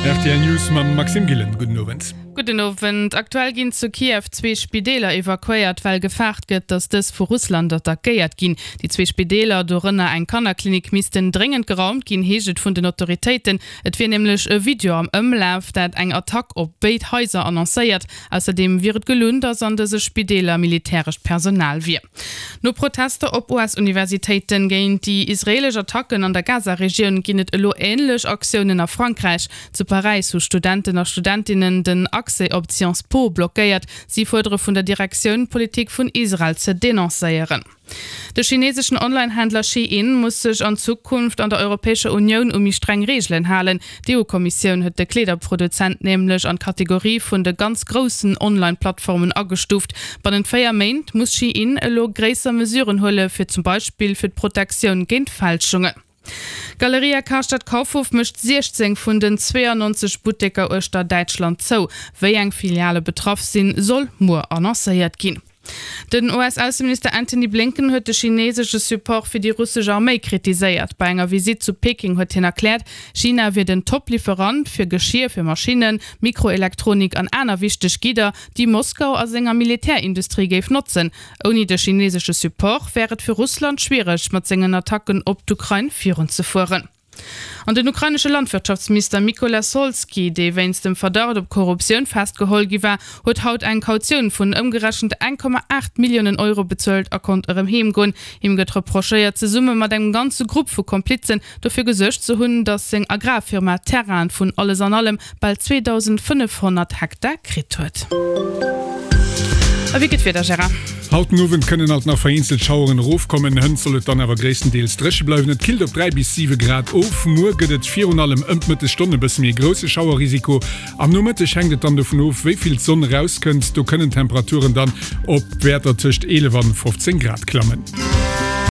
Rtl News mam Maxime Gillen. Gudden Owend. Gudden Owend. Aktuell ginn zu Kiew zwee Spideeler evakuéiert, well gefaart gëtt, datt dës vu Russland attackéiert ginn. Déi zwee Spideeler, dorënner eng Kannerklinik, missten dréngend geraumt ginn, heescht et vun den Autoritéiten. Et wier nämlech e Video am Ëmlaf, dat eng Attack op béid Haiser annoncéiert. Ausserdeem wier et gelunn, datt an dëse Spideeler militärescht Personal wier. No Protester op US-Universitéiten géint déi israeelesch Attacken an der Gaza-Regioun ginn et elo änlech Aktiounen a Frankräich. Zu Paräis hu Studenten a Studentinnen den Accès op d'Sciences Po blockéiert. Si fuerdere vun der Direktioun, d'Politik vun Israel ze denoncéieren. De chineseschen Online-Händler Shein muss sech an Zukunft an der Europäescher Unioun u méi streng Reegelen halen. D'EU-Kommissioun huet de Kleederproduzent nämlech an d'Kategorie vun de ganz groussen Online-Plattformen agestuuft. Bannent 4 Méint muss Shein elo gréisser Mesuren huele fir zum Beispill fir d'Protektioun géint Fälschungen. D'Galeria Karstadt Kaufhof mécht 16 vun den 92 Butteker uechter Däitschland zou. Wéi eng Filiale betraff sinn, soll muer annoncéiert ginn. Den US-Ausseminister Antony Blinken huet de chinesesche Support fir déi russesch Arméi kritiséiert. Bei enger Visitt zu Peking huet hien erkläert, China wier den Top-Liwwerant fir Geschier fir Maschinnen, Mikroelektronik an aner wichteg Gidder, déi Moskau a senger Militärindustrie géif notzen. Ouni de chinesesche Support wär et fir Russland schwiereg, mat sengen Attacken op d'Ukrain virunzefueren. An den ukrainesche Landwirtschaftsminister Mykola Solsky, dee wéinst dem Verdacht op Korruptioun festgeholl gi war, huet haut eng Kautioun vun ëmgerechent 1,8 Milliounen Euro bezuelt a konnt erëm heem goen. Him gëtt reprochéiert, zesumme mat engem ganze Grupp vu Komplizen dofir gesuergt ze hunn, datt seng Agrarfirma Terrainen vun alles an allem bal 2.500 Hektar kritt huet. A wéi gëtt d'Wieder, Gérard? Haut den Owend kënnen alt nach vereenzelt Schaueren erofkommen, hënt soll et dann awer gréisstendeels dréche bleiwen. Et killt op 3 bis 7 Grad of. Muer gëtt et virun allem ëm d'Mëttesstonn e bësse méi e grousse Schauerrisiko. Am Nomëtteg hänkt et dann dovun of, wéi vill d'Sonn erauskënnt. Do kënnen d'Temperaturen dann op Wäerter tëscht 11 an 15 Grad klammen.